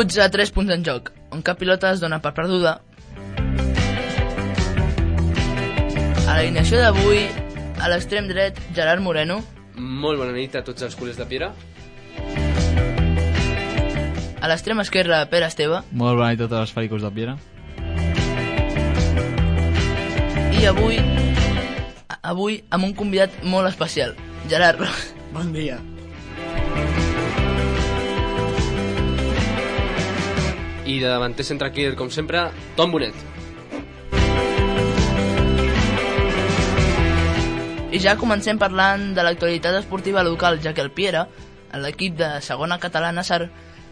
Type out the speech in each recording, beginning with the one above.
minuts a 3 punts en joc, on cap pilota es dona per perduda. A l'alineació d'avui, a l'extrem dret, Gerard Moreno. Molt bona nit a tots els culers de Piera. A l'extrem esquerre, Pere Esteve. Molt bona nit a tots els pericos de Piera. I avui amb un convidat molt especial, Gerard Ros. Bon dia. I de davanter centre clear, com sempre, Tom Bonet. I ja comencem parlant de l'actualitat esportiva local, ja que el Piera, l'equip de segona catalana SAR,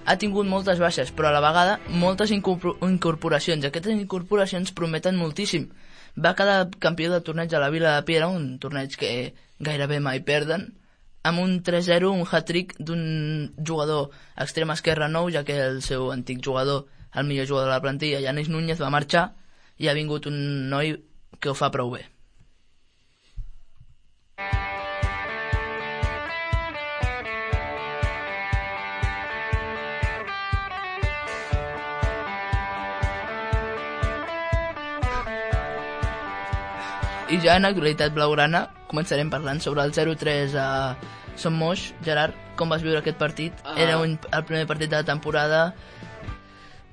ha tingut moltes baixes, però a la vegada moltes incorporacions. Aquestes incorporacions prometen moltíssim. Va quedar campió del torneig a la Vila de Piera, un torneig que gairebé mai perden, amb un 3-0, un hat-trick d'un jugador extrem esquerre nou, ja que el seu antic jugador, el millor jugador de la plantilla, Yanis Núñez, va marxar i ha vingut un noi que ho fa prou bé. I ja en actualitat blaugrana començarem parlant sobre el 0-3 a Son Moix. Gerard, com vas viure aquest partit? Era el primer partit de la temporada,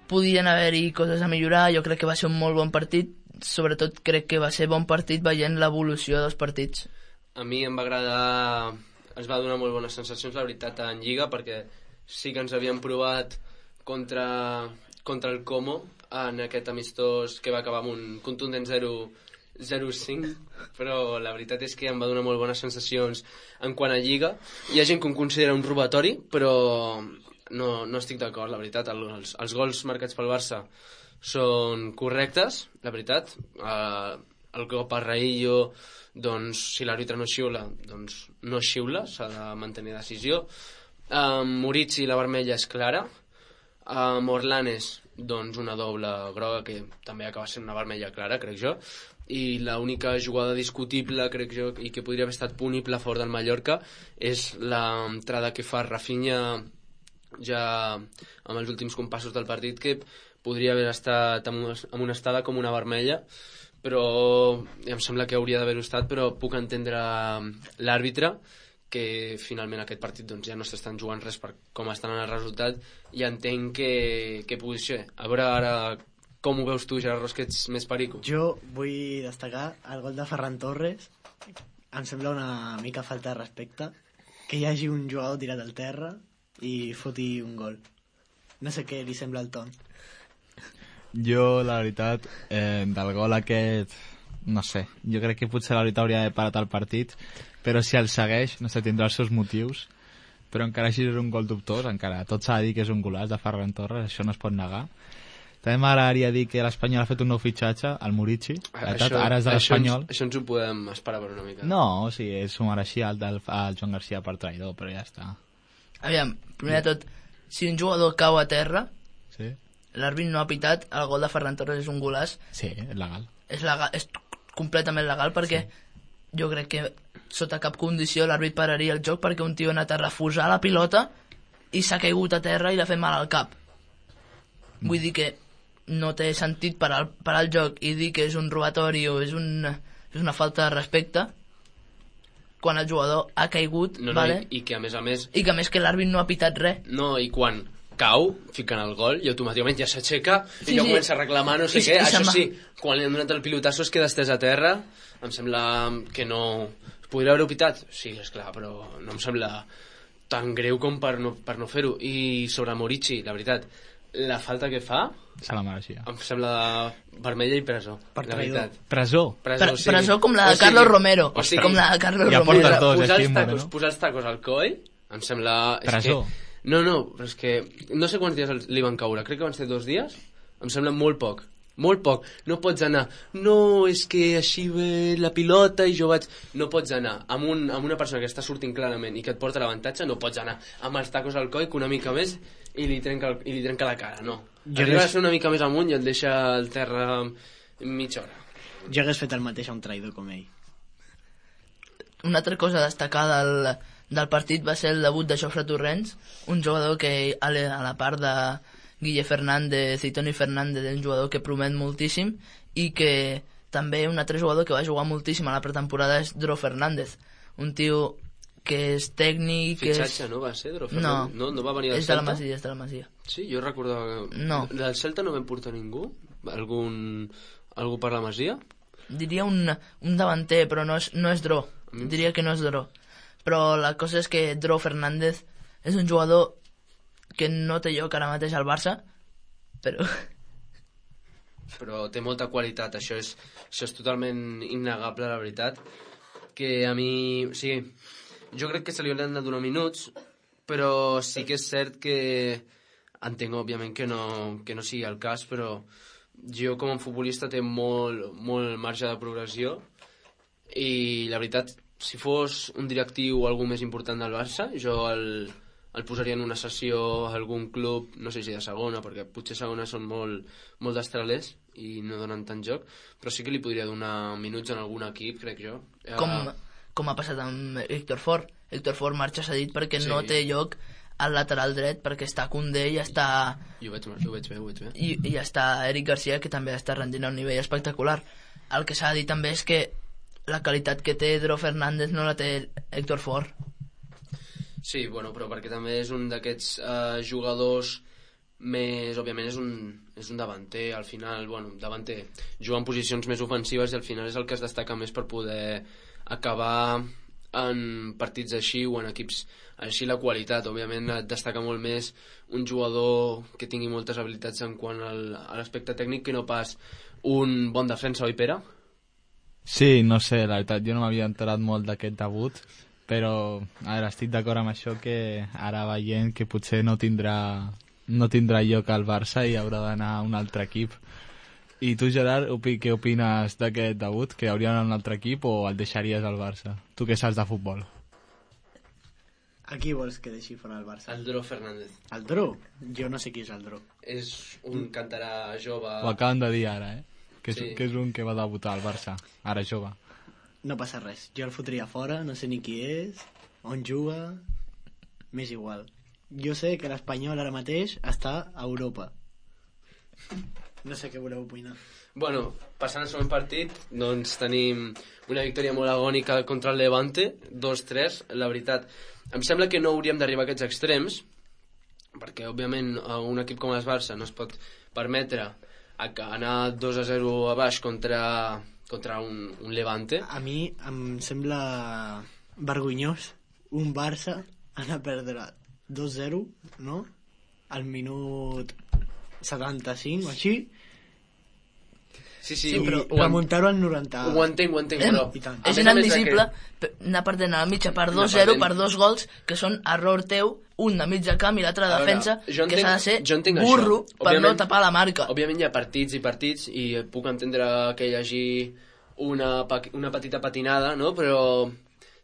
podien haver-hi coses a millorar, jo crec que va ser un molt bon partit, sobretot crec que va ser bon partit veient l'evolució dels partits. A mi em va agradar, ens va donar molt bones sensacions, la veritat, en Lliga, perquè sí que ens havíem provat contra el Como en aquest amistós que va acabar amb un contundent 0-5, però la veritat és que em va donar molt bones sensacions en quant a Lliga. Hi ha gent que ho considera un robatori, però no estic d'acord, la veritat. Els gols marcats pel Barça són correctes, la veritat. El cop a Raillo, doncs, si l'àrbitre no xiula, doncs no xiula, s'ha de mantenir decisió. Murici, la vermella és clara. Morlanes, doncs una doble groga que també acaba sent una vermella clara, crec jo. I l'única jugada discutible, crec jo, i que podria haver estat punible a favor del Mallorca és l'entrada que fa Rafinha ja amb els últims compassos del partit, que podria haver estat amb una estada com una vermella, però em sembla que hauria d'haver-ho estat, però puc entendre l'àrbitre, que finalment aquest partit doncs, ja no s'estan jugant res per com estan en el resultat, i entenc que pugui ser. A veure ara com ho veus tu, Gerard Ros, que ets més perico. Jo vull destacar el gol de Ferran Torres. Em sembla una mica falta de respecte que hi hagi un jugador tirat al terra i foti un gol. No sé què li sembla al Tom. Jo, la veritat, del gol aquest, no sé, jo crec que potser la veritat hauria d'haver parat el partit, però si el segueix, no sé, tindrà els seus motius, però encara així és un gol dubtós, encara tot s'ha de dir que és un golaç de Ferran Torres, això no es pot negar. També m'agradaria dir que l'Espanyol ha fet un nou fitxatge, el Murici, ara és de l'Espanyol. Això ens ho podem esperar per una mica. No, o sigui, s'ho mereixia el Joan Garcia per traïdor, però ja està. Aviam, primer de tot, si un jugador cau a terra, sí, l'àrbit no ha pitat, el gol de Ferran Torres és un golaç. Sí, és legal. És completament legal, perquè jo crec que sota cap condició l'àrbit pararia el joc, perquè un tio ha anat a refusar la pilota i s'ha caigut a terra i l'ha fet mal al cap. Vull dir que no té sentit parar el joc i dir que és un robatori o és una falta de respecte quan el jugador ha caigut, vale? I que a més i que a més que l'àrbit no ha pitat res. No, i quan cau, fiquen el gol i automàticament ja s'aixeca i ja comença a reclamar no sé què. Això sí, quan li han donat el pilotasso es queda estès a terra. Em sembla que no... Podria haver-ho pitat? Sí, esclar, però no em sembla tan greu com per no fer-ho. I sobre Murici, la veritat, la falta que fa se la mereixia. Em sembla vermella i presó. Per traïdor. Presó? Sí. Presó com la de Carlos Romero. O sigui, com la de Carlos ja Romero. Posar els tacos al coll em sembla... Presó? No, però és que no sé quants dies li van caure, crec que van ser 2 dies. Em sembla molt poc. Molt poc. No pots anar, no, és que així ve la pilota i jo vaig... No pots anar amb una persona que està sortint clarament i que et porta l'avantatge, no pots anar amb els tacos al coll, que una mica més i li trenca la cara, no. Arriba a ser una mica més amunt i el deixa al terra mitja hora. Jo hagués fet el mateix a un traïdor com ell. Una altra cosa a destacar del partit va ser el debut de Jofre Torrents, un jugador que a la part Guille Fernández i Toni Fernández, un jugador que promet moltíssim, i que també un altre jugador que va jugar moltíssim a la pretemporada és Dro Fernández, un tio que és tècnic... Fitxatge, no va ser, Dro Fernández? No va venir del és de la Celta? Masia, és de la Masia. Sí, jo recordava... No. Del Celta no vam portar ningú? Algú per la Masia? Diria un davanter, però no és Dro. Diria que no és Dro. Però la cosa és que Dro Fernández és un jugador que no té lloc ara mateix al Barça, però té molta qualitat, això és totalment innegable, la veritat, que a mi... O sigui, jo crec que se li hauran de donar minuts, però sí que és cert que entenc, òbviament, que no sigui el cas, però jo com a futbolista té molt marge de progressió i la veritat, si fos un directiu o algú més important del Barça, jo el posaria en una sessió a algun club, no sé si de segona, perquè potser segona són molt destralers i no donen tant joc, però sí que li podria donar minuts en algun equip, crec jo. Com ha passat amb Héctor Fort. Héctor Fort marxa cedit perquè Sí. no té lloc al lateral dret, perquè està Koundé i està... I ho veig bé. I està Eric Garcia, que també està rendint a un nivell espectacular. El que s'ha de dir també és que la qualitat que té Dro Fernández no la té Héctor Fort. Sí, bueno, però perquè també és un d'aquests jugadors més... Òbviament és un davanter, al final, davanter, juga en posicions més ofensives i al final és el que es destaca més per poder acabar en partits així o en equips així. La qualitat, òbviament, et destaca molt més un jugador que tingui moltes habilitats en quant a l'aspecte tècnic que no pas un bon defensa, oi, Pere? Sí, no sé, la veritat, jo no m'havia enterat molt d'aquest debut, però a veure, estic d'acord amb això, que ara veient que potser no tindrà lloc al Barça i haurà d'anar a un altre equip. I tu, Gerard, què opines d'aquest debut? Que hauria d'anar a un altre equip o el deixaries al Barça? Tu que saps de futbol. A qui vols que deixi fora el Barça? El Dro Fernández. El Dro? Jo no sé qui és el Dro. És un cantarà jove... Ho acaben de dir ara, Que Sí. és un que va debutar al Barça, ara jove. No passa res. Jo el fotria fora, no sé ni qui és, on juga... M'és igual. Jo sé que l'Espanyol ara mateix està a Europa. No sé què voleu opinar. Bueno, passant al següent partit, doncs tenim una victòria molt agònica contra el Levante, 2-3. La veritat, em sembla que no hauríem d'arribar a aquests extrems, perquè, òbviament, un equip com el Barça no es pot permetre anar 2-0 a baix contra un Levante. A mi em sembla vergonyós un Barça anar a perdre 2-0, no? Al minut 75 o així, Sí, Sí, i però remuntar-ho al 90. ho entenc, però... I tant. a És més a més inadmissible d'aquest- anar perdent a la mitja per Anar 2-0 perdent. per 2 gols que són error teu, un de mig de camp i l'altre de A veure, defensa, jo que s'ha de ser jo entenc burro això. per no Òbviament- tapar la marca. Òbviament hi ha partits i partits i puc entendre que hi hagi una petita patinada, no? Però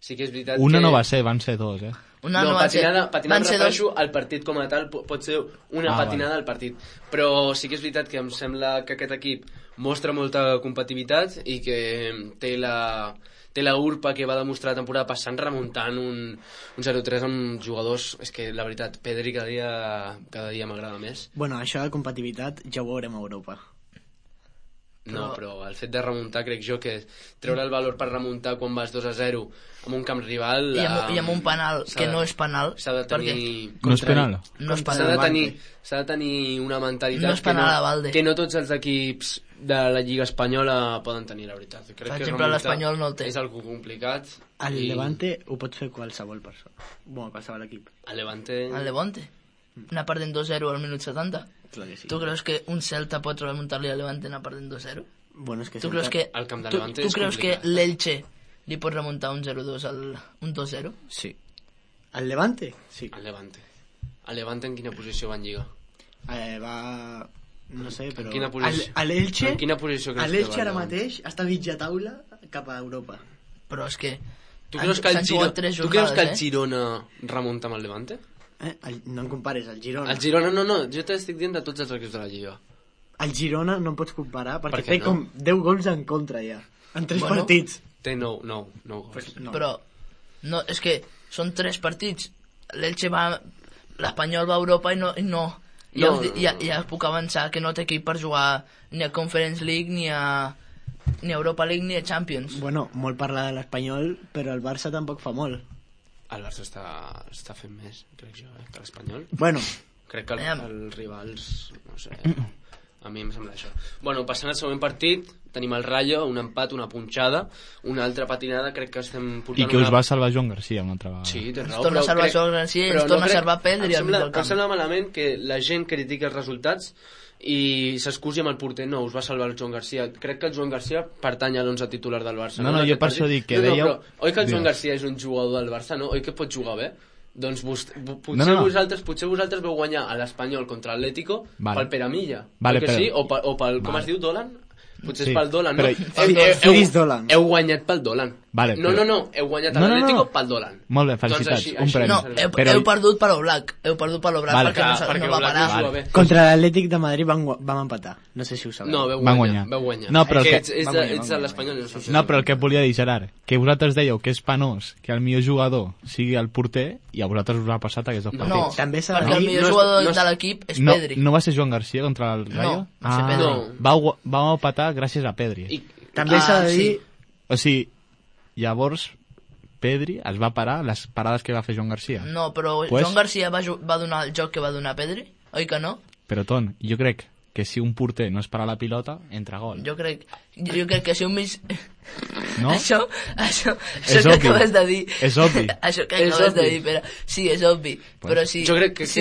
sí que és veritat Una que... no va ser, van ser dos, Una no, va ser- patinada van em ser refereixo al partit com a tal, pot ser una patinada al partit, però sí que és veritat que em sembla que aquest equip mostra molta competitivitat i que té la urpa que va demostrar la temporada passant remuntant un 0-3 amb jugadors. És que la veritat, Pedri cada dia m'agrada més. Bueno, això de competitivitat ja ho veurem a Europa. No, però el fet de remuntar, crec jo que treure el valor per remuntar quan vas 2-0 amb un camp rival... I amb un penal s'ha que de- no és penal, S'ha de tenir... No és penal? no és S'ha penal. de tenir, una mentalitat No és penal a Valde. que no tots els equips de la Lliga Espanyola poden tenir, la veritat. Crec Per que exemple, remuntar l'Espanyol no el té. És algo complicat. El i Levante ho pot fer qualsevol persona. Bueno, qualsevol equip. El Levante... El Levante. Anar perdent 2-0 al minut 70. Clar que sí. Tu creus que un Celta pot remuntar-li al Levante anar perdent 2-0? Bueno, és que Tu sempre- creus que, El camp de tu, Levante tu és creus que complicat. l'Elche li pot remuntar un 0-2 un 2-0? Sí. El Levante? Sí. El Levante. El Levante en quina posició va en Lliga? Va... No sé, però... En quina posició? L'Elche... En quina posició creus que L'Elche va ara el Levante? mateix està a mitja taula cap a Europa. Però és que... Tu creus que el s'han jugat 3 tu creus que el jornades, Girona remunta amb el Levante? No em compares, el Girona. El Girona, no, jo t'estic dient de tots els equips de la Lliga. El Girona no em pots comparar perquè Per què té no? com 10 gols en contra ja. En 3 Bueno. partits. Té 9 gols. Pues no. Però no, és que són 3 partits. L'Elche va... L'Espanyol va a Europa i no Ja puc avançar que no té equip per jugar ni a Conference League, ni a Europa League, ni a Champions. Bueno, molt parla de l'Espanyol, però el Barça tampoc fa molt. El Barça està fent més, crec jo, que l'Espanyol. Bueno, Crec que els rivals, no sé, a mi em sembla això. Bueno, passant al següent partit, tenim el Rayo, un empat, una punxada, una altra patinada, crec que estem portant... I que us va salvar Joan Garcia una altra vegada. Sí, té raó. Ens torna a salvar Joan Garcia i ens torna a salvar Pedri al mig del camp. Em sembla malament que la gent critiqui els resultats i s'excusi amb el porter. No, us va salvar el Joan Garcia. Crec que el Joan Garcia pertany a l'11 titular del Barça. No, jo per això dic que dèieu... Oi que el Joan Garcia és un jugador del Barça, no? Oi que pot jugar bé? Doncs potser vosaltres veu guanyar a l'Espanyol contra l'Atlético pel Peramilla. Vale, que sí? O pel... Com es diu, Dolan? Potser és pel Dolan, no? Feliç Dolan. Heu guanyat pel Dolan. Vale, no, heu guanyat a l'Atlético pel Dolan. Molt bé, felicitats, un premi. No, heu perdut per l'Oblak. Heu perdut per l'Oblak perquè no va parar. Contra l'Atlètic de Madrid vam empatar. No sé si ho sabeu. No, veu guanyar. No, però ets de l'Espanyol. No, però el que et volia dir, Gerard, que vosaltres dèieu que és penós que el millor jugador sigui el porter i a vosaltres us ha passat aquests dos partits. No, perquè el millor jugador de l'equip és Pedri. No va ser Joan Garcia contra el Rayo? No, va ser Pedri. Vau empatar gràcies a Pedri. També s'ha de dir... O sigui, llavors Pedri es va parar les parades que va fer Joan Garcia. No, però Joan Garcia va donar el joc que va donar Pedri, oi que no? Però, Ton, jo crec que si un porter no es para la pilota, entra gol. Jo crec que si un mig... No? Això que acabes de dir... És obvi. Això que acabes de dir, però... Sí, és obvi. Però si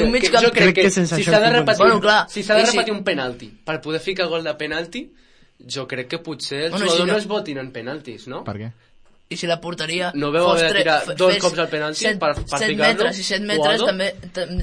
un mig jo crec que si s'ha de repetir un penalti per poder ficar gol de penalti, jo crec que potser els jugadors no es votin en penaltis, no? Per què? I si la porteria no veu haver de tirar dos cops al penalti per ficar-lo? I 7 metres també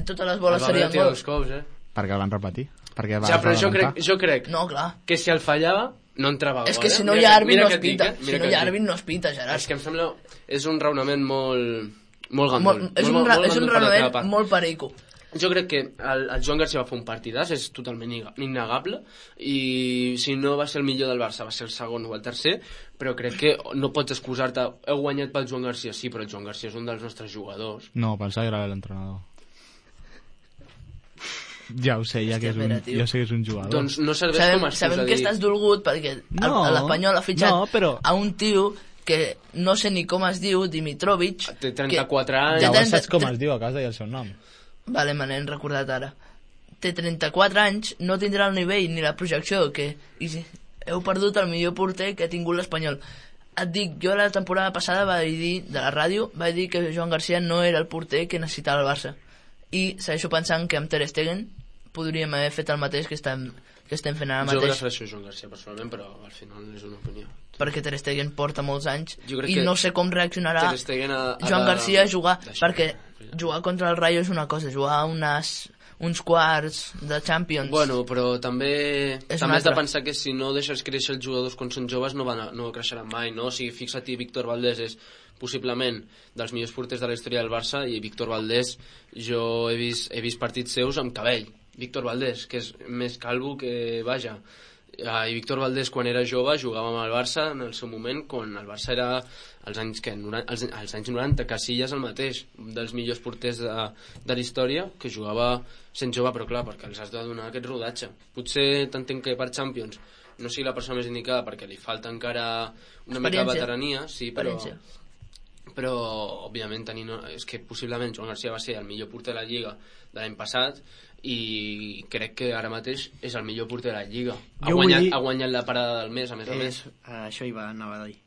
totes les boles serien gol. Perquè el van repetir. Ja, però jo crec no, clar, que si el fallava no entrava gol. És que si no hi ha àrbit no es pita. Si no hi ha àrbit no es pita, Gerard. És que em sembla... És un raonament molt gandul. És un raonament molt perico. Jo crec que el Joan Garcia va fer un partidàs, és totalment innegable, i si no va ser el millor del Barça, va ser el segon o el tercer, però crec que no pots excusar-te. Heu guanyat pel Joan Garcia, sí, però el Joan Garcia és un dels nostres jugadors. No, pensava que era l'entrenador. Ja ho sé, jo sé que és un jugador. Doncs no serveix com a excusa. Sabem que estàs dolgut perquè l'Espanyol ha fitxat a un tio que no sé ni com es diu, Dimitrovic. Té 34 anys. Ja saps com es diu, acabes de dir el seu nom. Vale, me n'hem recordat ara. Té 34 anys, no tindrà el nivell ni la projecció que... Heu perdut el millor porter que ha tingut l'Espanyol. Et dic, jo la temporada passada vaig dir, de la ràdio, vaig dir que Joan Garcia no era el porter que necessitava el Barça. I segueixo pensant que amb Ter Stegen podríem haver fet el mateix que estem fent ara mateix. Jo prefereixo Joan Garcia personalment, però al final és una opinió. Perquè Ter Stegen porta molts anys i no sé com reaccionarà Joan Garcia a jugar, perquè jugar contra el Rayo és una cosa, jugar uns quarts de Champions... Bueno, però també has de pensar que si no deixes créixer els jugadors quan són joves no creixeran mai, no? O sigui, fixa't, Víctor Valdés és possiblement dels millors porters de la història del Barça, i Víctor Valdés, jo he vist partits seus amb cabell. Víctor Valdés, que és més calvo que vaja. I Víctor Valdés, quan era jove, jugava amb el Barça en el seu moment, quan el Barça era als anys 90, Casillas el mateix, un dels millors porters de la història, que jugava sent jove, però clar, perquè els has de donar aquest rodatge. Potser t'entenc que per Champions no sigui la persona més indicada, perquè li falta encara una mica de veterania, sí, però òbviament és que possiblement Joan Garcia va ser el millor porter de la Lliga de l'any passat, i crec que ara mateix és el millor porter de la Lliga. Ha guanyat la parada del mes, a més a més. Això hi va anava a dir.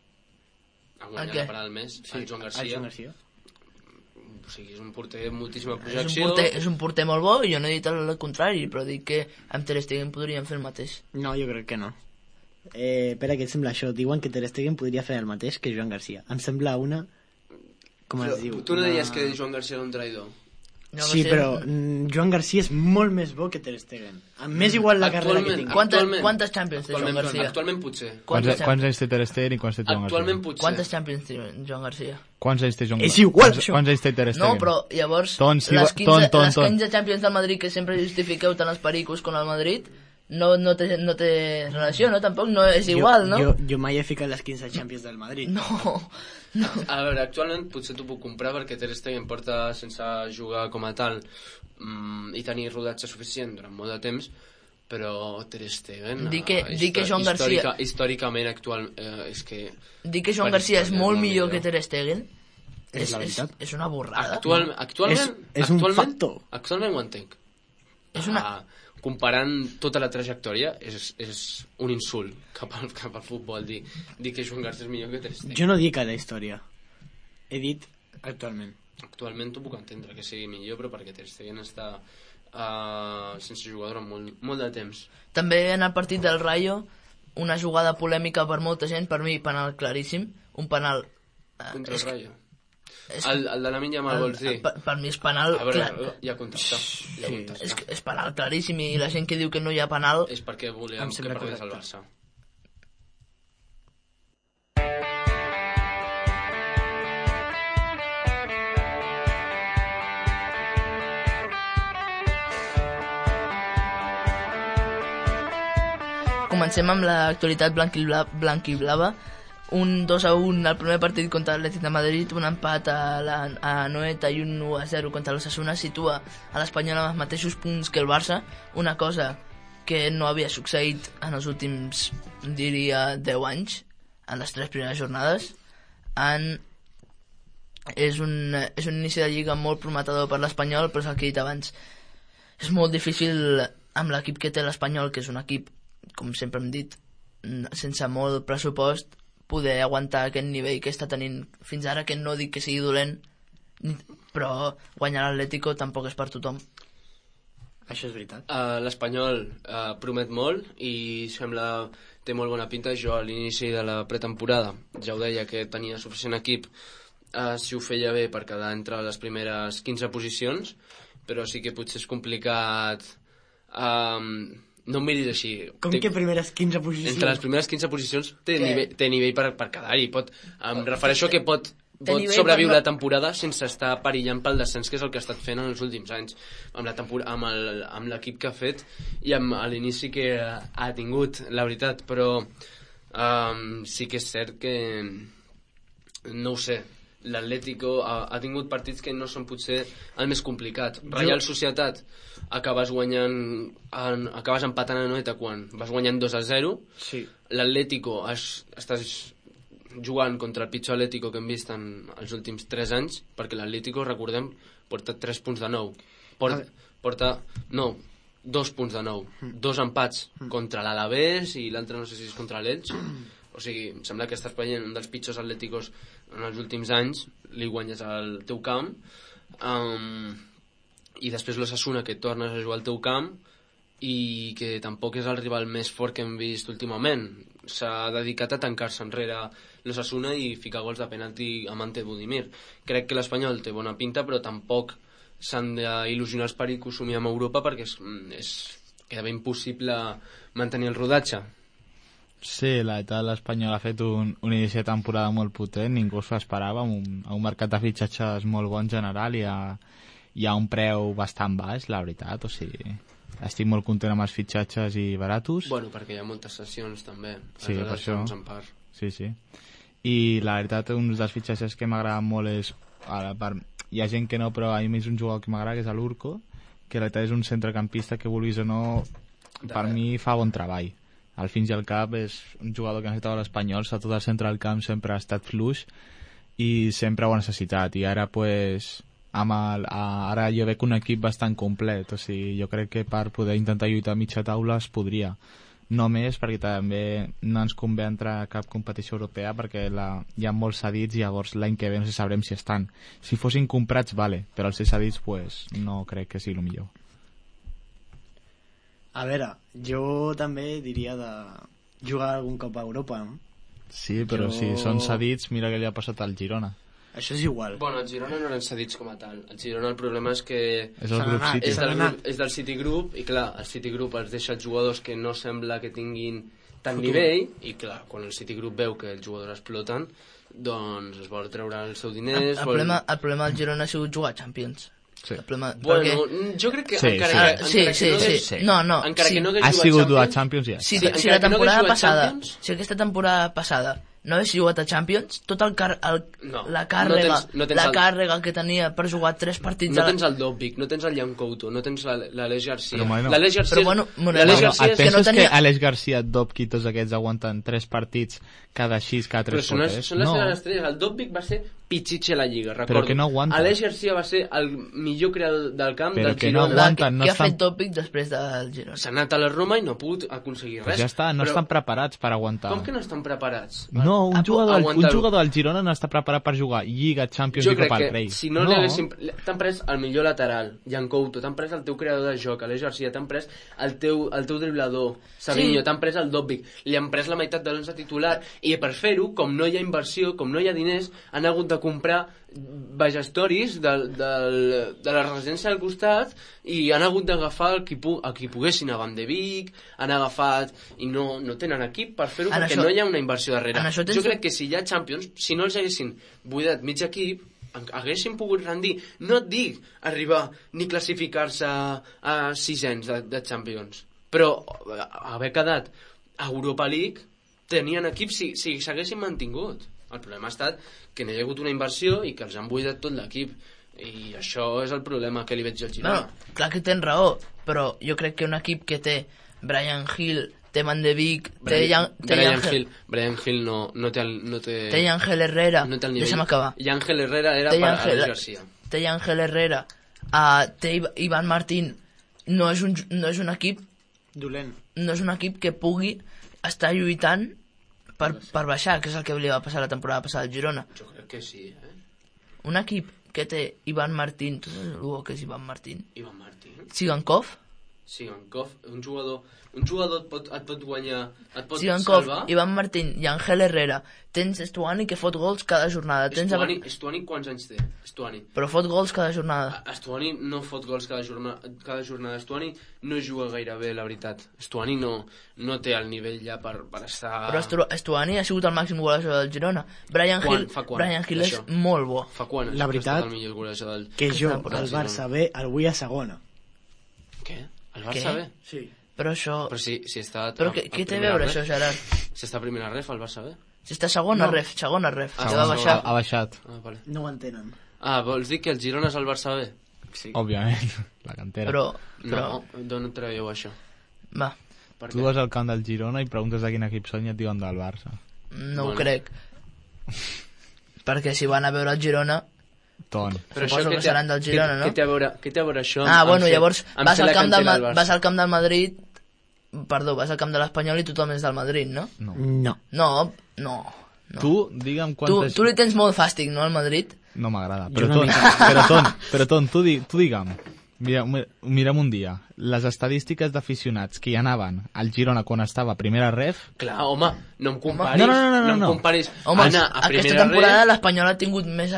Ha guanyat la parada del mes, el Joan Garcia. O sigui, és un porter amb moltíssima projecció. És un porter molt bo, i jo no he dit el contrari, però dic que amb Ter Stegen podríem fer el mateix. No, jo crec que no. Per què et sembla això? Diuen que Ter Stegen podria fer el mateix que Joan Garcia. Em sembla una... Com es diu? Tu no deies que Joan Garcia era un traïdor? Sí, però Joan Garcia és molt més bo que Ter Stegen. M'és igual la carrera que tinc. Quantes Champions té Joan Garcia? Actualment potser. Quants anys té Ter Stegen i quants té Joan Garcia? Actualment potser. Quantes Champions té Joan Garcia? Quants anys té Joan Garcia? És igual, això. Quants anys té Ter Stegen? No, però llavors les 15 Champions del Madrid que sempre justifiqueu tant els pericos com el Madrid, no té relació, no? Tampoc no és igual, no? Jo mai he ficat les 15 Champions del Madrid. No. A veure, actualment potser t'ho puc comprar perquè Ter Stegen porta sense jugar com a tal i tenir rodatge suficient durant molt de temps, però Ter Stegen Dir que Joan Garcia... històricament actual és que... Dir que Joan Garcia és molt millor que Ter Stegen És la veritat. és una borrada. És un factor. Actualment ho entenc. És una... Comparant tota la trajectòria és un insult cap al futbol dir que Joan Garcia és millor que Ter Stegen. Jo no dic a la història, he dit actualment. Actualment t'ho puc entendre que sigui millor, però perquè Ter Stegen està sense jugar durant molt de temps. També en el partit del Rayo, una jugada polèmica per molta gent, per mi penal claríssim, un penal... Contra el Rayo. El de la Minya mal vols dir? Per mi és penal... A veure, hi ha contacte. És penal claríssim, i la gent que diu que no hi ha penal... És perquè volíem que perdés el Barça. Comencem amb l'actualitat blanquiblava. Un 2-1 al primer partit contra l'Atlètic de Madrid, un empat a Noeta i un 1-0 contra l'Osasuna situa a l'Espanyol amb els mateixos punts que el Barça, una cosa que no havia succeït en els últims, diria, 10 anys, en les 3 primeres jornades. És un inici de lliga molt prometedor per l'Espanyol, però és el que he dit abans. És molt difícil amb l'equip que té l'Espanyol, que és un equip, com sempre hem dit, sense molt pressupost, poder aguantar aquest nivell que està tenint fins ara, que no dic que sigui dolent, però guanyar l'Atlético tampoc és per tothom. Això és veritat. L'Espanyol promet molt i té molt bona pinta. Jo a l'inici de la pretemporada ja ho deia que tenia suficient equip si ho feia bé per quedar entre les primeres 15 posicions, però sí que potser és complicat. No em miris així. Com que primeres 15 posicions? Entre les primeres 15 posicions té nivell per quedar-hi. Em refereixo que pot sobreviure la temporada sense estar perillant pel descens, que és el que ha estat fent en els últims anys amb l'equip que ha fet i amb l'inici que ha tingut, la veritat. Però sí que és cert que no ho sé, l'Atlético ha tingut partits que no són potser el més complicat. Reial Societat acabes empatant a Noeta quan vas guanyant 2-0. Sí. L'Atlético estàs jugant contra el pitjor Atlético que hem vist en els últims 3 anys, perquè l'Atlético, recordem, porta 3 punts de 9. Porta 2 punts de 9. 2 empats contra l'Alavés i l'altre no sé si és contra l'Elx. O sigui, em sembla que estàs veient un dels pitjors Atléticos en els últims anys, li guanyes al teu camp, i després l'Osasuna, que tornes a jugar al teu camp i que tampoc és el rival més fort que hem vist últimament. S'ha dedicat a tancar-se enrere l'Osasuna i ficar gols de penalti amb Ante Budimir. Crec que l'Espanyol té bona pinta, però tampoc s'han d'il·lusionar els perits que ho somiem a Europa, perquè queda ben impossible mantenir el rodatge. Sí, la veritat, l'Espanyol ha fet un inici de temporada molt potent, ningú s'ho esperava, amb un mercat de fitxatges molt bon general i hi ha un preu bastant baix, la veritat, o sigui, estic molt content amb els fitxatges i baratos. Bueno, perquè hi ha moltes sessions també, sí, per això. En part. Sí. I la veritat, un dels fitxatges que m'agrada molt és, hi ha gent que no, però a mi és un jugador que m'agrada, que és l'Urco, que la veritat és un centrecampista que, vulguis o no, per mi fa bon treball. Al fins i al cap és un jugador que necessitava l'Espanyol, tot el centre del camp sempre ha estat fluix i sempre ho ha necessitat, i ara pues, ara jo veig un equip bastant complet, o sigui, jo crec que per poder intentar lluitar a mitja taula es podria, no més perquè també no ens convé entrar a cap competició europea perquè hi ha molts cedits i llavors l'any que ve no sabrem si estan. Si fossin comprats, vale, però els cedits pues, no crec que sigui el millor. A veure, jo també diria de jugar algun cop a Europa, no? Sí, però si són cedits, mira què li ha passat al Girona. Això és igual. Bueno, el Girona no eren cedits com a tal. El Girona el problema és que és el grup City. És del Citigroup, i clar, el Citigroup els deixa els jugadors que no sembla que tinguin tant nivell, i clar, quan el Citigroup veu que els jugadors exploten, doncs es vol treure els seus diners... El problema del Girona ha sigut jugar a Champions. Sí. El problema, Bueno, jo crec que Sí, encara sí. que... Sí. No, Encara sí. que no hagués Ha jugat sigut a Champions... Champions, ja. Si, Sí, si encara la que no temporada hagués jugat passada, Champions- si aquesta temporada passada no hagués jugat a Champions, tot No, la càrrega, no tens la el- càrrega que tenia per jugar 3 partits No a la... tens el Dobbik, no tens el Jan Couto, no tens l'Aleix Garcia. Però, bueno. L'Aleix Garcia, Però, bueno, l'Aleix bueno, Garcia et és... que no penses tenia- que Aleix Garcia, Dobki i tots aquests aguanten 3 partits cada 6, cada 3 Però són les no. seves estrelles. El Dobbik va ser pitxitxe a la Lliga, recordo. Però que no aguanta. Aleix Garcia va ser el millor creador del camp Però del que no Girona. aguanta. no Què ha estan- fet Tòpic després del Girona? S'ha anat a la Roma i no ha pogut aconseguir Pues res. ja està, no Però estan preparats per aguantar. Com que no estan preparats? No, un jugador aguantar-ho. del Girona no està preparat per jugar Lliga, Champions Jo i crec Copa del que Rei. si no, li haguéssim... T'han pres el millor lateral, Jan Couto, t'han pres el teu creador de joc, Aleix Garcia, t'han pres el teu driblador, Savinho, Sí. t'han pres el Dobbik, li han pres la meitat de l'11 titular, i per fer-ho, com no hi ha inversió, com no hi ha diners, han hagut de comprar vegestoris de la residència del costat i han hagut d'agafar el qui poguessin, a Van de Beek, han agafat i no tenen equip per fer-ho En perquè això- no hi ha una inversió darrere. en això tens- Jo crec que si hi ha Champions, si no els haguessin buidat mig equip, haguessin pogut rendir, no et dic arribar ni classificar-se a 600 de Champions, però haver quedat a Europa League tenien equip si s'haguessin mantingut. El problema ha estat que no hi ha hagut una inversió i que els han buidat tot l'equip, i això és el problema que li veig al Girona. Bueno, clar que tens raó, però jo crec que un equip que té Brian Hill, té Van de Beek, té Brian Hill no té té Ángel Herrera, no té el nivell. deixa'm acabar, I Ángel Herrera era té per Ángel- Aleix Garcia. té Ángel Herrera, té Ivan Martín, no és un equip Dolent. no és un equip que pugui estar lluitant per baixar, que és el que li va passar la temporada passada al Girona. Jo crec que sí, Un equip que té Ivan Martín, tu saps el que és Ivan Martín? Ivan Martín. Sigankov? Sigankov, un jugador et pot guanyar, et pot Sigankov, salvar. Ivan Martín i Ángel Herrera. Tens Estuani que fot gols cada jornada. Estuani quants anys té? Estuani. Però fot gols cada jornada. Estuani no fot gols cada jornada. Estuani no juga gaire bé, la veritat. Estuani no té el nivell ja per estar... Però Estuani ha sigut el màxim golejador del Girona. Brian Hill és això? molt bo. Fa quan? La veritat, el millor golejador del... Que jo, temporada, el Barça B, el vull a segona. Què? El Barça Què? bé? Sí. Però això... Però si està... Però què té a veure això, Gerard? Si està a primera ref, el Barça bé? Si està segona No. ref. Ah, Que va baixar. Ha baixat, Vale. No ho entenen. Vols dir que el Girona és el Barça bé? Sí. òbviament, la cantera. Però... No, d'on traieu això? Va, Per Tu vas al camp del Girona i preguntes de quin equip són i et diuen del Barça. no ho Bueno. crec. Perquè si van a veure el Girona... Ton. Suposo que seran del Girona, no? Què té a veure això? Bueno, llavors amb vas fer al la camp cantera del Barça? vas al camp del Madrid... Perdó, vas al camp de l'Espanyol i tothom és del Madrid, no? No. No. No. Tu, digue'm Tu quantes... li tens molt fàstic, no, al Madrid? No m'agrada. Jo Però, una Ton, mica. però Ton, tu digue'm. Mira'm un dia. Les estadístiques d'aficionats que hi anaven al Girona quan estava a primera ref... Clar, home, no em comparis. No. em comparis Home, anar a aquesta primera temporada ref... l'Espanyol ha tingut més